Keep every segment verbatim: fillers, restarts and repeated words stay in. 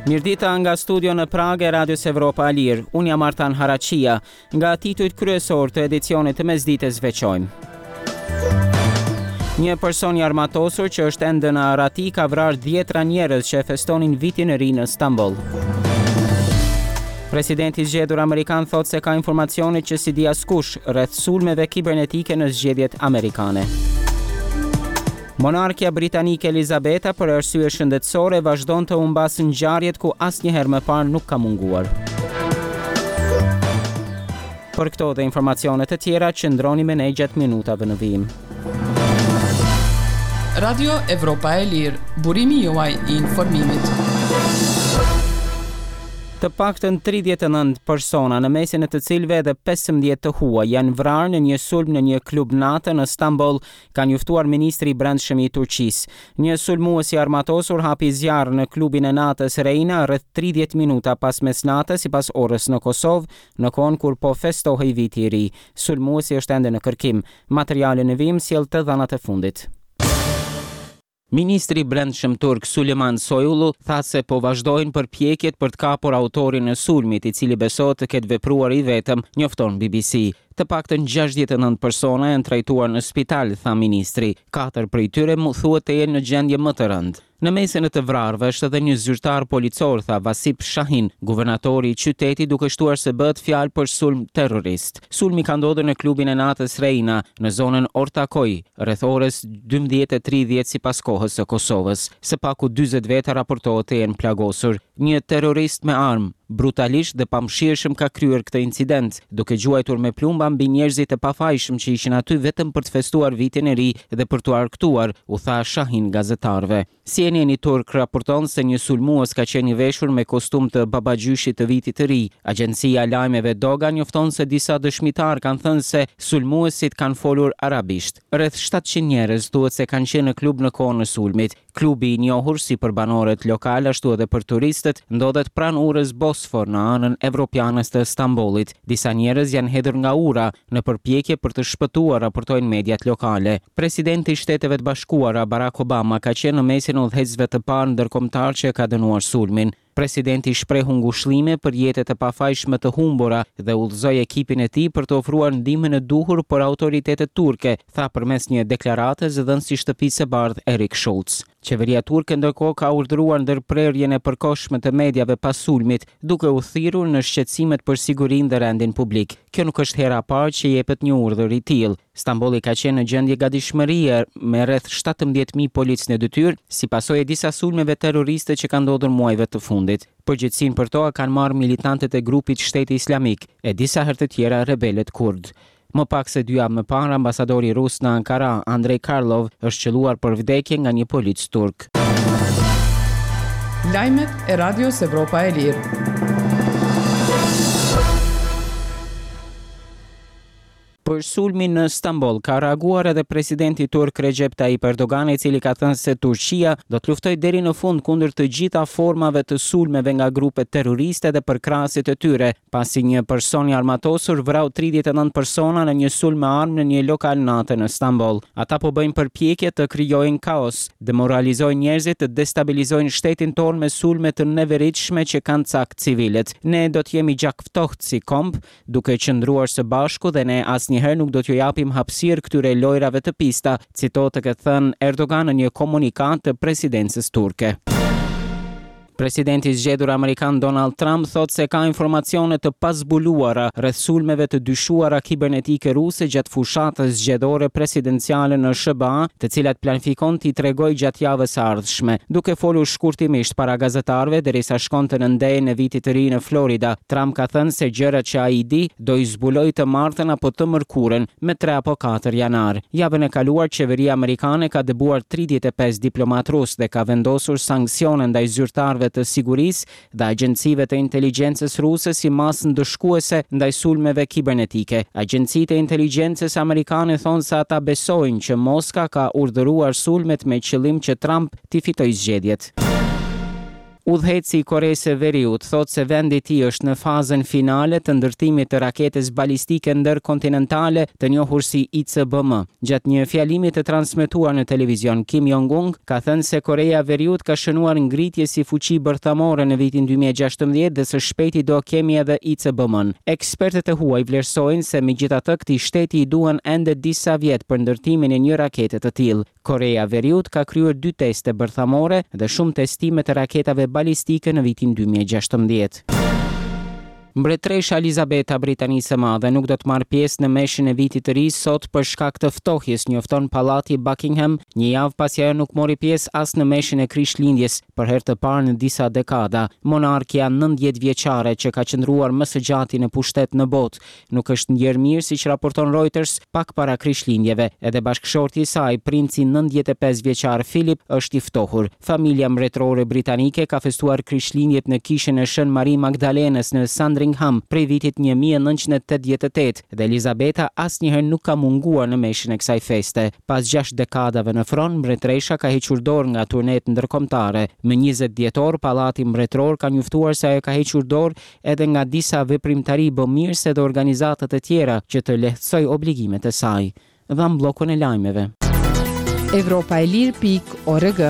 Mirëdita nga studio në Pragë e Radios Evropa e Lirë. Unë jam Artan Haraqia. Nga titujt kryesor të edicionit të mesditës veçojmë. Një person i armatosur që është ende në arrati ka vrarë dhjetra njerëz që e festonin vitin e ri në Stamboll. Presidenti i zgjedhur amerikan thotë se ka informacione që s'i di askush rreth sulmeve kibernetike në zgjedhjet amerikane. Monarkja britanike Elizabeta për arsye shëndetësore vazhdon të humbasë ngjarjet ku asnjëherë më parë nuk ka munguar. Për këto dhe informacione të tjera, qëndroni me ne gjatë minutave në vijim. Radio Evropa e Lirë, burimi juaj i informimit. Të paktën tridhjetë e nëntë persona, në mesin e të cilëve edhe pesëmbëdhjetë të huaj, janë vrarë në një sulm në një klub nate në Stamboll, ka njoftuar ministri i Brendshëm i Turqisë. Një sulmues i armatosur hapi zjarr në klubin e natës Reina rreth tridhjetë minuta pas mesnate sipas orës në Kosovë, në kohën kur po festohej viti i ri. Sulmuesi është ende në kërkim. Materiali në vijim sjell të dhënat e fundit. Ministri i Brendshëm turk Suleyman Soylu tha se po vazhdojnë përpjekjet për të kapur autorin e sulmit, i cili besohet të ketë vepruar i vetëm, njofton B B C. Të paktën gjashtëdhjetë e nëntë persona janë trajtuar në spital, tha ministri. Katër prej tyre mu thuhet të jenë në gjendje më të rëndë. Në mesin e të vrarëve është edhe një zyrtar policor, tha Vasip Shahin, guvernatori i qytetit, duke shtuar se bëhet fjalë për sulm terrorist. Sulmi ka ndodhur në klubin e natës Reina, në zonën Ortakoj, rreth orës dymbëdhjetë e tridhjetë sipas kohës së Kosovës. Së paku dyzet veta raportohet të jenë plagosur. Një terrorist me armë, brutalisht dhe pamëshirshëm ka kryer këtë incident, duke gjuajtur me plumba mbi njerëzit e pafajshëm që ishin aty vetëm për të festuar vitin e ri dhe për t'u argëtuar, u tha Shahin gazetarëve. C N N-i turk raporton se një sulmues ka qenë i veshur me kostum të babagjyshit të vitit të ri. Agjencia e lajmeve Dogan njofton se disa dëshmitar kanë thënë se sulmuesit kanë folur arabisht. Rreth shtatëqind njerëz thuhet se kanë qenë në klub në kohën e sulmit. Klubi i njohur si për banorët lokal ashtu edhe për turistët ndodhet pranë urës Bosfor në anën evropiane të Stambollit. Disa njerëz janë hedhur nga ura në përpjekje për të shpëtuar, raportojnë mediat lokale. Presidenti i Shteteve të Bashkuara Barack Obama ka qenë në mesin e udhëheqësve të parë ndërkombëtar që ka dënuar sulmin. Presidenti shprehu ngushëllime për jetët e pafajshme të humbura dhe udhëzoi ekipin e tij për të ofruar ndihmën e duhur për autoritetet turke, tha përmes një deklarate zëdhënësi i Shtëpisë së Bardhë Eric Schultz. Qeveria turke ndërkohë ka urdhëruar ndërprerjen e përkohshme të mediave pas sulmit, duke u thirrur në shqetësimet për sigurinë dhe rendin publik. Kjo nuk është hera e parë që jepet një urdhër i tillë. Stambolli ka qenë në gjendje gatishmërie me rreth shtatëmbëdhjetë mijë policë në detyrë, si pasojë e disa sulmeve terroriste që kanë ndodhur muajve të fundit. Përgjegjësinë për to kanë marrë militantët e grupit Shteti Islamik e disa herë të tjera rebelët kurd. Më pak se dy javë më parë, ambasadori rus në Ankara, Andrei Karlov, është qëlluar për vdekje nga një polic turk. Lajmet e Radios Evropa e Lirë. Për sulmin në Stamboll ka reaguar edhe presidenti turk Recep Tayyip Erdogan, i cili ka thënë se Turqia do të luftojë deri në fund kundër të gjitha formave të sulmeve nga grupet terroriste dhe përkrahësit e tyre, pasi një person i armatosur vrau tridhjetë e nëntë persona në një sulm me armë në një lokal nate në Stamboll. Ata po bëjnë përpjekje të krijojnë kaos, demoralizojnë njerëzit, të destabilizojnë shtetin tonë me sulme të neveritshme që kanë cak civilët. Ne do të jemi gjakftohtë si komb, duke qëndruar së bashku dhe ne asnjëherë nuk do t'ju japim hapësirë këtyre lojrave të pista, citohet të ketë thënë Erdogan në një komunikatë të presidencës turke. Presidenti i zgjedhur amerikan Donald Trump thotë se ka informacione të pazbuluara rreth sulmeve të dyshuara kibernetike ruse gjatë fushatës zgjedhore presidenciale në S H B A, të cilat planifikon t'i tregojë gjatë javës së ardhshme. Duke folur shkurtimisht para gazetarëve derisa shkonte në ndejën e vitit të ri në Florida, Trump ka thënë se gjërat që ai di do i zbulojë të martën apo të mërkurën, me tre apo katër janar. Javën e kaluar qeveria amerikane ka dëbuar tridhjetë e pesë diplomat rus dhe ka vendosur sanksione ndaj zyrtarëve të sigurisë dhe agjencive të inteligjencës ruse si masë ndëshkuese ndaj sulmeve kibernetike. Agjencitë e inteligjencës amerikane thonë se ata besojnë që Moska ka urdhëruar sulmet me qëllim që Trump t'i fitojë zgjedhjet. Udhëheqësi i Koresë së Veriut thotë se vendi i tij është në fazën finale të ndërtimit të raketës balistike ndërkontinentale të njohur si I C B M. Gjatë një fjalimi të transmetuar në televizion, Kim Jong-un ka thënë se Koreja e Veriut ka shënuar ngritje si fuqi bërthamore në vitin dy mijë e gjashtëmbëdhjetë dhe së shpejti do kemi edhe I C B M-n. Ekspertët e huaj vlerësojnë se megjithatë këtij shteti i duhen ende disa vjet për ndërtimin e një rakete të tillë. Koreja e Veriut ka kryer dy teste bërthamore dhe shumë testime të raketave balistike në vitin dy mijë e gjashtëmbëdhjetë. Mbretëresha Elizabeta Britanisë së Madhe nuk do të marrë pjesë në meshën e vitit të ri sot për shkak të ftohjes, njofton Pallati Buckingham, një javë pasi ajo nuk mori pjesë as në meshën e Krishtlindjes për herë të parë në disa dekada. Monarkja nëntëdhjetë vjeçare, që ka qëndruar më së gjati në pushtet në botë, nuk është ndjerë mirë, siç raporton Reuters, pak para Krishtlindjeve. Edhe bashkëshorti i saj, princi nëntëdhjetë e pesë vjeçar Philip, është i ftohur. Familja mbretërore britanike ka festuar Krishtlindjet në kishën e Shën Marie Magdalenës në Sandringham prej vitit një mijë e nëntëqind e tetëdhjetë e tetë dhe Elizabeta asnjëherë nuk ka munguar në meshën e kësaj feste. Pas gjashtë dekadave në fron, mbretëresha ka hequr dorë nga turnet ndërkombëtare. Më njëzet dhjetor, Pallati Mbretëror ka njoftuar se ajo ka hequr dorë edhe nga disa veprimtari bëmirëse dhe organizata të tjera që të lehtësojë obligimet e saj. Dham bllokun e lajmeve. Evropa e lirë pikë org.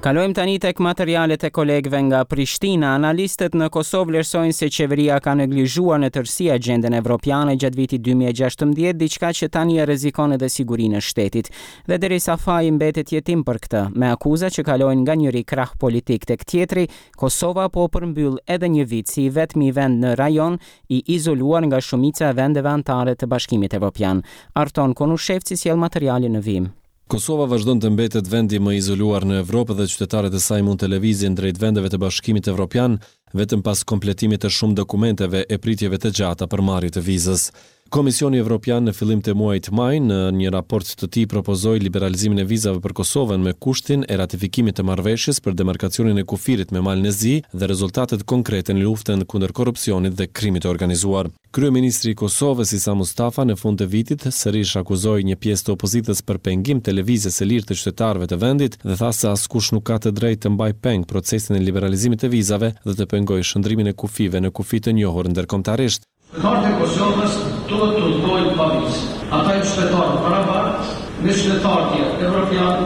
Kalojmë tani tek materialet e kolegëve nga Prishtina. Analistët në Kosovë vlerësojnë se qeveria ka neglizhuar në tërësi agjendën evropiane gjatë vitit dy mijë e gjashtëmbëdhjetë, diçka që tani e rrezikon edhe sigurinë e shtetit. Dhe derisa faji mbetet jetim për këtë, me akuza që kalojnë nga njëri krah politik tek tjetri, Kosova po përmbyll edhe një vit si i vetmi vend në rajon i izoluar nga shumica e vendeve anëtare të Bashkimit Evropian. Arton Konushevci sjell materialin në vijim. Kosova vazhdon të mbetet vendi më i izoluar në Evropë dhe qytetarët e saj mund të lëvizin drejt vendeve të Bashkimit Evropian vetëm pas kompletimit të shumë dokumenteve e pritjeve të gjata për marrje të vizës. Komisioni Evropian në fillim të muajit maj në një raport të tij propozoi liberalizimin e vizave për Kosovën me kushtin e ratifikimit të marrëveshjes për demarkacionin e kufirit me Malin e Zi dhe rezultatet konkrete në luftën kundër korrupsionit dhe krimit të organizuar. Kryeministri i Kosovës, Isa Mustafa, në fund të vitit sërish akuzoi një pjesë të opozitës për pengim të lëvizjes së lirë të qytetarëve të vendit dhe tha se askush nuk ka të drejtë të mbajë peng procesin e liberalizimit të vizave dhe të pengojë shndërrimin e kufijve në kufi të njohur ndërkombëtarisht. Qytetarët e Kosovës duhet të udhëtojnë pa vizë. Ata janë qytetarë barabartë me qytetarët tjerë evropian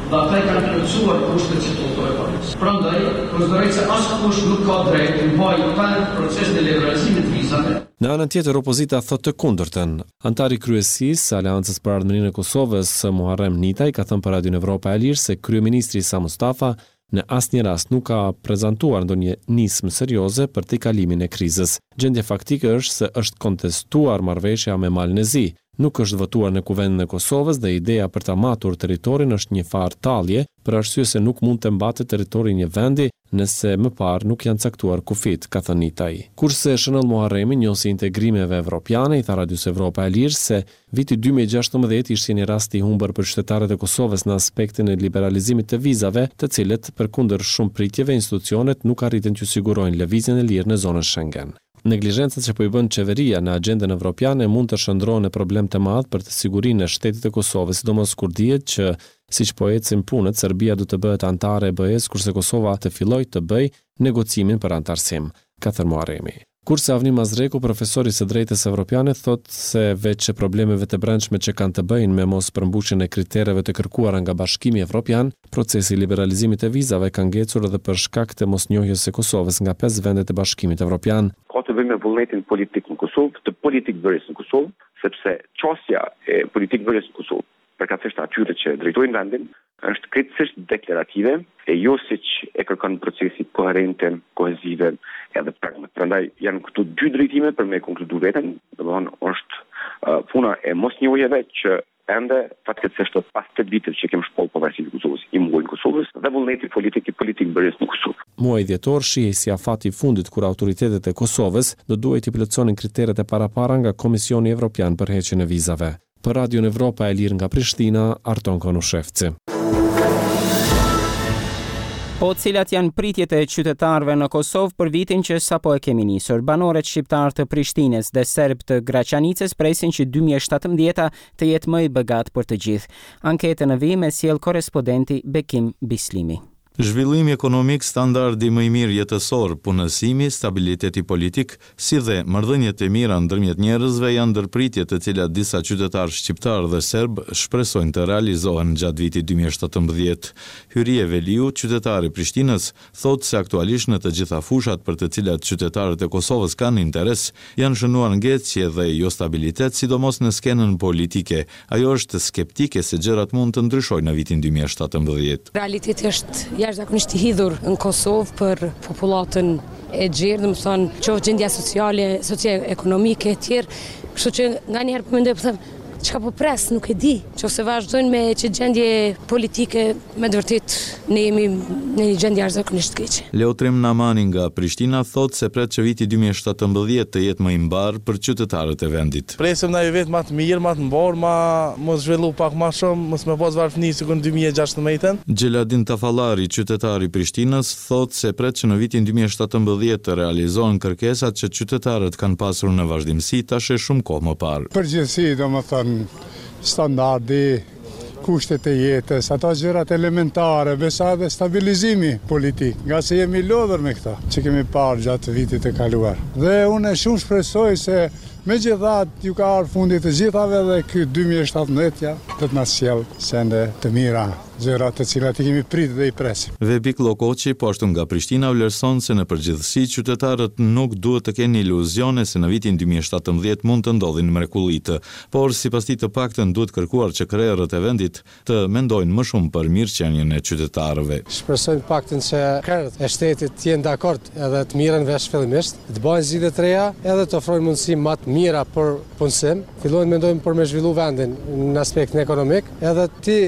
dhe ata i kanë plotësuar kushtet që të udhëtojnë pa vizë. Prandaj, konsideroj se askush nuk ka drejtë të mbajë peng procesin e liberalizimit të vizave. Në anën tjetër, opozita thotë të kundërtën. Antari i kryesisë së Aleancës për Ardhmërinë e Kosovës, Muharrem Nitaj, ka thënë për Radion Evropa e Lirë se kryeministri Isa Mustafa në asnjë rast nuk ka prezantuar ndonjë nismë serioze për tejkalimin e krizës. Gjendja faktike është se është kontestuar marrëveshja me Malin e Zi, nuk është votuar në Kuvendin e Kosovës dhe ideja për ta matur territorin është një farë tallje, për arsye se nuk mund të mbatet territori i një vendi nëse më parë nuk janë caktuar kufit, ka thënë Nitaj. Kurse Shënoll Muharremi, njohësi i integrimeve evropiane, i tha Radios Evropa e Lirë se viti dy mijë e gjashtëmbëdhjetë ishte një rast i humbur për qytetarët e Kosovës në aspektin e liberalizimit të vizave, të cilët përkundër shumë pritjeve institucionet nuk arritën t'ju sigurojnë lëvizjen e lirë në zonën Schengen. Neglizhencat që po i bën qeveria në agjendën evropiane mund të shndërrohen në problem të madh për të sigurinë e shtetit të Kosovës, sidomos kur dihet që siç po ecin punët, Serbia do të bëhet anëtare e B E-s, kurse Kosova të fillojë të bëjë negocimin për anëtarësim, ka thënë Muharremi. Kurse Avni Mazreku, profesori i së drejtës evropiane, thotë se veç problemeve të brendshme që kanë të bëjnë me mos përmbushjen e kritereve të kërkuara nga Bashkimi Evropian, procesi i liberalizimit të vizave ka ngecur edhe për shkak të mosnjohjes së Kosovës nga pesë vendet e Bashkimit Evropian. Ka të bëjë me vullnetin politik në Kosovë, të politikëbërjes në Kosovë, sepse qasja e politikëbërjes në Kosovë, përkatësisht atyre që drejtojnë vendin, është krejtësisht deklarative e jo siç e kërkon procesi, koherente, kohezive edhe pragmatik. Prandaj janë këtu dy drejtime për me konkludu veten, domethënë është uh, puna e mosnjohjeve që ende fatkeqësisht pas tetë viteve që kemi shpallë pavarësinë e Kosovës, i mungojnë Kosovës dhe vullneti politik i politikëbërjes në Kosovë. Muaji dhjetor shihej si afati i fundit kur autoritetet e Kosovës do duhej të plotësonin kriteret e parapara nga Komisioni Evropian për heqjen e vizave. Për Radion Evropa e Lirë nga Prishtina, Arton Konushevci. Po cilat janë pritjet e qytetarëve në Kosovë për vitin që sapo e kemi nisur? Banorët shqiptar të Prishtinës dhe serb të Graçanicës presin që dy mijë e shtatëmbëdhjeta të jetë më i begat për të gjithë. Anketën në vijim e sjell korrespondenti Bekim Bislimi. Zhvillimi ekonomik, standardi më i mirë jetësor, punësimi, stabiliteti politik, si dhe marrëdhëniet e mira ndërmjet njerëzve janë ndër pritjet të cilat disa qytetarë shqiptarë dhe serbë shpresojnë të realizohen gjatë vitit dy mijë e shtatëmbëdhjetë. Hyrie Veliu, qytetar i Prishtinës, thotë se aktualisht në të gjitha fushat për të cilat qytetarët e Kosovës kanë interes, janë shënuar ngecje dhe jostabilitet, sidomos në skenën politike. Ajo është skeptike se gjërat mund të ndryshojnë në vitin dy mijë e shtatëmbëdhjetë. Realiteti është jashtëzakonisht i hidhur në Kosovë për popullatën e gjerë, domethënë, qoftë gjendja sociale, socioekonomike e tjerë, kështu që nganjëherë po mendoj, po them, çka po pres, nuk e di. Qofse vazhdojnë me që gjendje politike, me të vërtetë ne jemi në një gjendje jashtëzakonisht të keqe. Leotrim Namani nga Prishtina thotë se pret që viti dy mijë e shtatëmbëdhjetë të jetë më i mbarë për qytetarët e vendit. Presim ndonjë vit më të mirë, më të mbarë, ma mos zhvillu pak më shumë, mos me pas varfëni sikur në dy mijë e gjashtëmbëdhjetën. Xheladin Tafallari, qytetar i Prishtinës, thotë se pret që në vitin dy mijë e shtatëmbëdhjetë të realizohen kërkesat që qytetarët kanë pasur në vazhdimësi tash e shumë kohë më parë. Përgjithësi, domethënë, standardi, kushtet e jetës, ato gjërat elementare, besa edhe stabilizimi politik, nga se jemi lodhur me këta që kemi parë gjatë vitit të kaluar. Dhe unë shumë shpresoj se megjithatë ju ka ardhur fundi të gjithave dhe ky dy mijë e shtatëmbëdhjetë do të na sjellë sende të mira, gjëra të cilat i kemi pritur dhe i presim. Vebik Lokoçi, po ashtu nga Prishtina, vlerëson se në përgjithësi qytetarët nuk duhet të kenë iluzione se në vitin dy mijë e shtatëmbëdhjetë mund të ndodhin mrekullitë, por sipas tij të paktën duhet kërkuar që krerët e vendit të mendojnë më shumë për mirëqenien e qytetarëve. Shpresojmë të paktën që krerët e shtetit të jenë dakord edhe të mirren vesh fillimisht, të bëjnë zgjidhje të reja edhe të ofrojnë mundësi më të mira për punësim, fillojnë mendojnë për me zhvillu vendin në aspektin ekonomik, edhe ti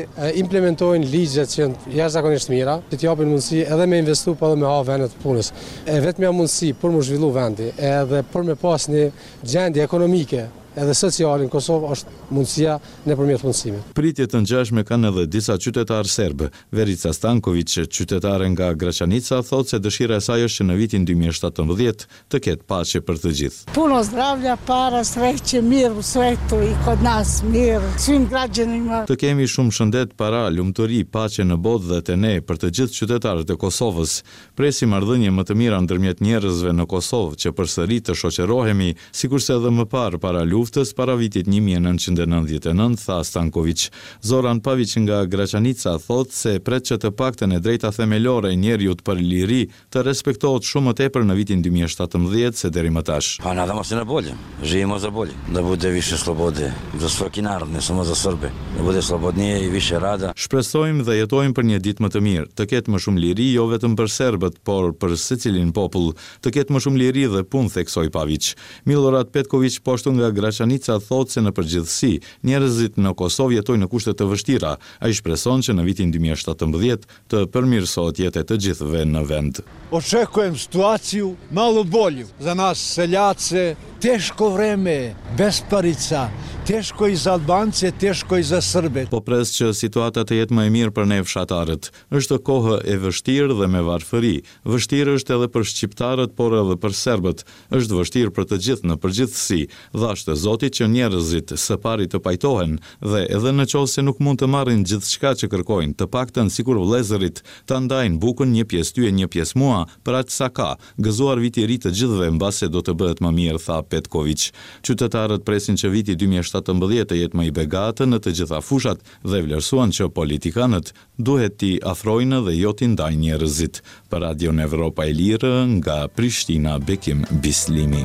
implementojnë ligjet që janë jashtëzakonisht mira, që të japin mundësi edhe me investu, po edhe me hap vende të punës. E vetmja mundësi për mu zhvillu vendi, edhe për me pas një gjendje ekonomike edhe sociale në Kosovë është mundësia nëpërmjet punësimit. Pritje të ngjashme kanë edhe disa qytetarë serbë. Verica Stanković, qytetare nga Graçanica, thotë se dëshira e saj është që në vitin dy mijë e shtatëmbëdhjetë të ketë paqe për të gjithë. Puno zdravlja, para, sreće, mir u svetu i kod nas mir, svim građanima. Të kemi shumë shëndet, para, lumturi, paqe në botë dhe te ne për të gjithë qytetarët e Kosovës. Presim marrëdhënie më të mira ndërmjet njerëzve në Kosovë që përsëri të shoqërohemi, sikurse edhe më parë para luftës, para vitit një mijë e nëntëqind e nëntëdhjetë e nëntë, tha Stanković. Zoran Pavić nga Graçanica thotë se pret që të paktën e drejta themelore e njeriut për liri të respektohet shumë më tepër në vitin dy mijë e shtatëmbëdhjetë se deri më tash. Pa nadamo se na bolje, živimo za bolje, da bude više slobode za svaki narod, ne samo za Srbe, da bude slobodnije i više rada. Shpresojmë dhe jetojmë për një ditë më të mirë, të ketë më shumë liri jo vetëm për serbët, por për secilin popull, të ketë më shumë liri dhe punë, theksoi Pavić. Milorad Petković, po ashtu nga Graçanica, thotë se në përgjithësi njerëzit në Kosovë jetojnë në kushte të vështira. Ai shpreson që në vitin dy mijë e shtatëmbëdhjetë të përmirësohet jeta e të gjithëve në vend. Očekujem situaciju malo bolju za nas seljace, teško vreme, besparica, teško i za Albance, teško i za Srbe. Po pres që situata të jetë më e mirë për ne fshatarët. Është kohë e vështirë dhe me varfëri. Vështirë është edhe për shqiptarët, por edhe për serbët. Është vështirë për të gjithë në përgjithësi. Dhashtë Zoti që njerëzit së pari të pajtohen dhe edhe në qoftë se nuk mund të marrin gjithçka që kërkojnë, të paktën sikur vëllezërit ta ndajnë bukën një pjesë ty e një pjesë mua, për aq sa ka. Gëzuar viti i ri të gjithëve, mbase do të bëhet më mirë, tha Petković. Qytetarët presin që viti dy mijë e shtatëmbëdhjetë të jetë më i begatë në të gjitha fushat dhe vlerësuan që politikanët duhet t'i afrojnë dhe jo t'i ndajnë njerëzit. Për Radion Evropa e Lirë, nga Prishtina, Bekim Bislimi.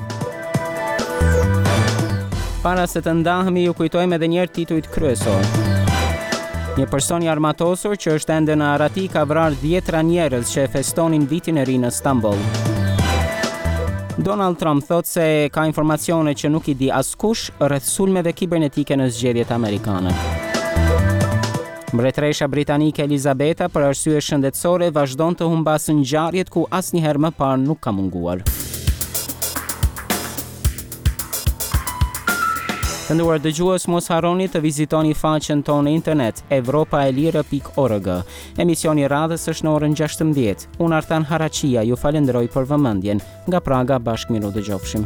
Para se të ndahemi, ju kujtojmë edhe një herë titujt kryesor. Një person i armatosur që është ende në arrati ka vrarë dhjetra njerëz që e festonin vitin e ri në Stamboll. Donald Trump thotë se ka informacione që nuk i di askush rreth sulmeve kibernetike në zgjedhjet amerikane. Mbretëresha britanike Elizabeta për arsye shëndetësore vazhdon të humbasë ngjarjet ku asnjëherë më parë nuk ka munguar. Të nderuar dëgjues, mos harroni të vizitoni faqen tonë në internet evropa e lirë pikë org. Emisioni i radhës është në orën gjashtëmbëdhjetë. Unë Artan Haraqia ju falenderoj për vëmendjen. Nga Praga bashkë miru dëgjofshim.